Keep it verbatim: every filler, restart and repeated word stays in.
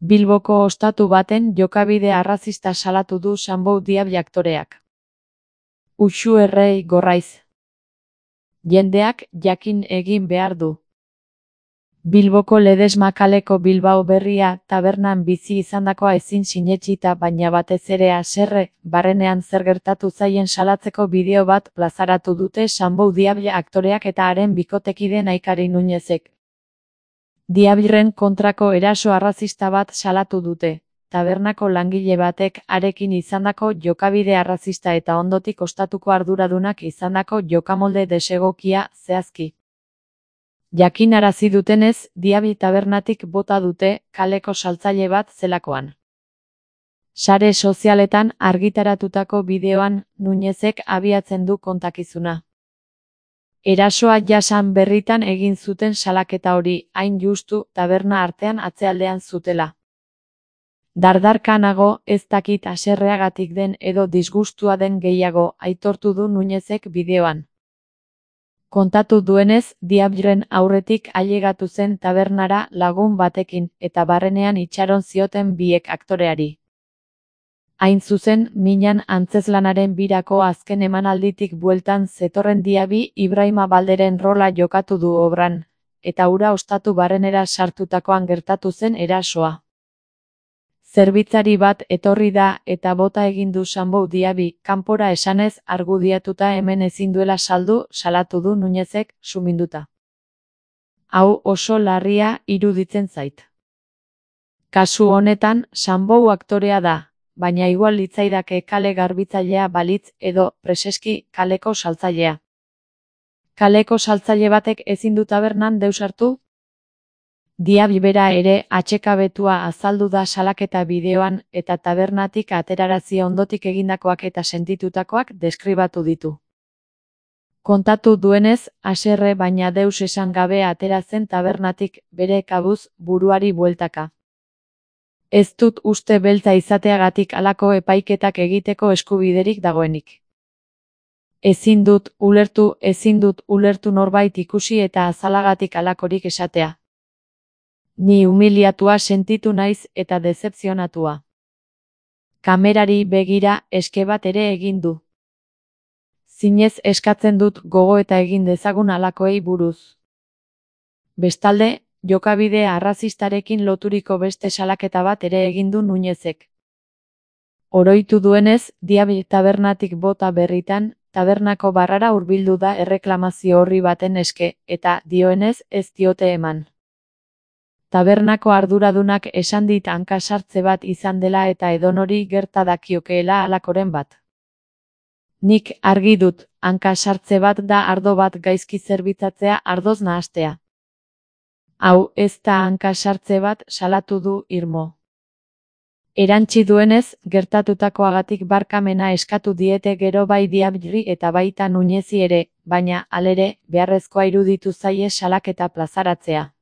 Bilboko ostatu baten jokabide arrazista salatu du Sanbou Diable aktoreak. Uxu errei gorraiz. Jendeak jakin egin behar du. Bilboko Ledesma kaleko Bilbao Berria tabernan bizi izandakoa ezin sinetsita baina batez ere haserre, barrenean zer gertatu zaien salatzeko bideo bat plazaratu dute Sanbou Diable aktoreak eta haren bikotekide Naikari Nuñezek. Diableren kontrako eraso arrazista bat salatu dute, tabernako langile batek harekin izandako jokabide arrazista eta ondotik ostatuko arduradunak izandako jokamolde desegokia zehazki. Jakinarazi dutenez, Diable tabernatik bota dute, kaleko saltzaile bat zelakoan. Sare sozialetan argitaratutako bideoan, Nuñezek abiatzen du kontakizuna. Erasoa jasan berritan egin zuten salaketa hori, hain justu, taberna artean atzealdean zutela. Dardarka nago, ez dakit haserreagatik den edo disgustua den gehiago, aitortu du Nuñezek bideoan. Kontatu duenez, Diableren aurretik ailegatu zen tabernara lagun batekin, eta barrenean itxaron zioten biek aktoreari. Hain zuzen, minan antzezlanaren birako azken emanalditik bueltan zetorren Diaby Ibrahima Balderen rola jokatu du obran, eta hura ostatu barrenera sartutakoan gertatu zen erasoa. Zerbitzari bat etorri da eta bota egin du Sanbou Diaby, kanpora esanez argudiatuta hemen ezin duela saldu, salatu du Nuñezek, suminduta. Hau oso larria iruditzen zait. Kasu honetan, Sanbou aktorea da, baina igual litzaidake kale garbitzailea balitz edo, preseski, kaleko saltzailea. Kaleko saltzaile batek ezin du tabernan deus hartu? Diaby bera ere atsekabetua azaldu da salaketa bideoan eta tabernatik aterarazi ondotik egindakoak eta sentitutakoak deskribatu ditu. Kontatu duenez, haserre baina deus esan gabe atera zen tabernatik, bere kabuz, buruari bueltaka. Ez dut uste beltza izateagatik halako epaiketak egiteko eskubiderik dagoenik. Ezin dut ulertu, ezin dut ulertu norbait ikusi eta azalagatik halakorik esatea. Ni humiliatua sentitu naiz eta dezepzionatua. Kamerari begira eske bat ere egin du. Zinez eskatzen dut gogo eta egin dezagun halakoei buruz. Bestalde, jokabide arrazistarekin loturiko beste salaketa bat ere egin du Nuñezek. Oroitu duenez, Diaby tabernatik bota berritan, tabernako barrara hurbildu da erreklamazio horri baten eske, eta dioenez ez diote eman. Tabernako arduradunak esan dit hanka sartze bat izan dela eta edonori gerta dakiokeela halakoren bat. Nik argi dut, hanka sartze bat da ardo bat gaizki zerbitzatzea ardoz nahastea. Hau ez da hanka sartze bat salatu du irmo. Erantsi duenez, gertatutakoagatik barkamena eskatu diete gero bai Diably eta baita Nuñezi ere, baina, halere, beharrezkoa iruditu zaie salaketa plazaratzea.